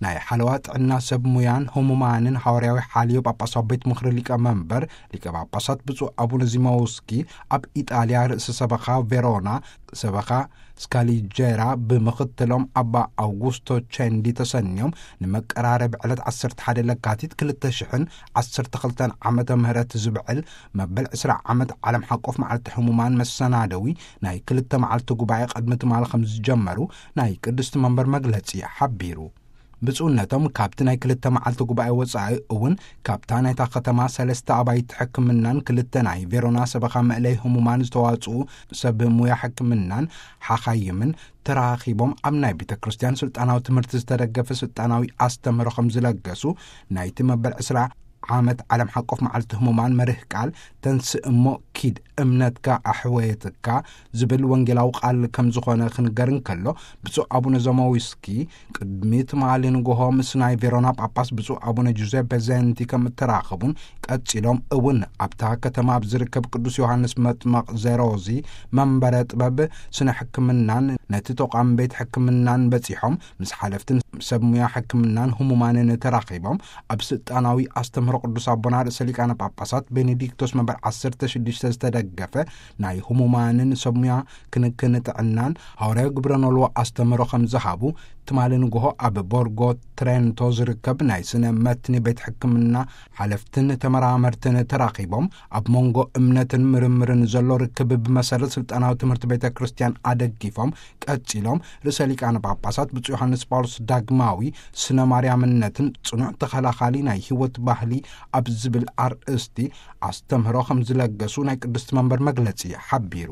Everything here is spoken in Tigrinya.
ናይ ሓለዋ ጥዕና ሰብ ሙያን ህሙማንን ሃዋርያዊ ሓልዮ ጳጳሳዊ ቤት ምኽሪ ሊቀ መንበር ሊቀ ጳጳሳት ብፁዕ ኣቡነ ዚማውስኪ፣ ኣብ ኢጣልያ ርእሰ ሰበኻ ቬሮና ሰበኻ ስካሊጀራ ብምኽትሎም ኣባ ኣውጉስቶ ቸንዲ ተሰንዮም፣ ንመቀራረቢ ዕለት ዓሰርተ ሓደ ለካቲት ክልተ ሽሕን ዓሰርተ ክልተን ዓመተ ምህረት ዝብዕል መበል ዕስራ ዓመት ዓለም ሓቆፍ መዓልቲ ህሙማን መሰናደዊ ናይ ክልተ መዓልቲ ጉባኤ ቅድሚ ትማሊ ከም ዝጀመሩ ናይ ቅድስቲ መንበር መግለጺ ሓቢሩ። ብፁዕነቶም ካብቲ ናይ ክልተ መዓልቲ ጉባኤ ወጻኢ እውን፣ ካብታ ናይታ ከተማ ሰለስተ ኣባይቲ ሕክምናን ክልተ ናይ ቬሮና ሰበኻ መእለይ ህሙማን ዝተዋጽኡ ሰብ ሙያ ሕክምናን ሓኻይምን ተራኺቦም፣ ኣብ ናይ ቤተ ክርስቲያን ስልጣናዊ ትምህርቲ ዝተደገፈ ስልጣናዊ ኣስተምህሮ ከም ዝለገሱ፣ ናይቲ መበል ዕስራ ዓመት ዓለም ሓቆፍ መዓልቲ ህሙማን መርህ ቃል "ተንስእ እሞ ኪድ፣ እምነትካ ኣሕወየትካ" ዝብል ወንጌላዊ ቃል ከም ዝኾነ ክንገር እንከሎ፣ ብፁዕ ኣቡነ ዘማዊስኪ ቅድሚ ትማሊ ንግሆ ምስ ናይ ቬሮና ጳጳስ ብፁዕ ኣቡነ ጁዜፐ ዘንቲ ከም እተራኸቡን፣ ቀጺሎም እውን ኣብታ ከተማ ኣብ ዝርከብ ቅዱስ ዮሃንስ መጥመቕ ዘሮዚ መንበረ ጥበብ ስነ ሕክምናን ነቲ ተቋም ቤት ሕክምናን በጺሖም፣ ምስ ሓለፍትን ሰብ ሙያ ሕክምናን ህሙማንን ተራኺቦም፣ ኣብ ስልጣናዊ ኣስተምህሮ ቅዱስ ኣቦና ርእሰ ሊቃነ ጳጳሳት ቤኔዲክቶስ መንበር ዓሰርተ ሽዱሽተ ዝተደገፈ ናይ ህሙማንን ሰብ ሙያ ክንክን ጥዕናን ሃዋርያዊ ግብረ ኖልዎ ኣስተምህሮ ከም ዝሃቡ፣ ትማሊ ንግሆ ኣብ ቦርጎ ትሬንቶ ዝርከብ ናይ ስነ መትኒ ቤት ሕክምና ሓለፍትን ተመራመርትን ተራኺቦም፣ ኣብ መንጎ እምነትን ምርምርን ዘሎ ርክብ ብመሰረት ስልጣናዊ ትምህርቲ ቤተ ክርስቲያን ኣደጊፎም፣ ቀጺሎም ርእሰ ሊቃነ ጳጳሳት ብፁዕ ዮሃንስ ጳውሎስ ዳግማዊ ስነ ማርያምነትን ጽኑዕ ተኸላኻሊ ናይ ህይወት ባህሊ ኣብ ዝብል ኣርእስቲ ኣስተምህሮ ከም ዝለገሱ ናይ ቅድስቲ መንበር መግለጺ ሓቢሩ።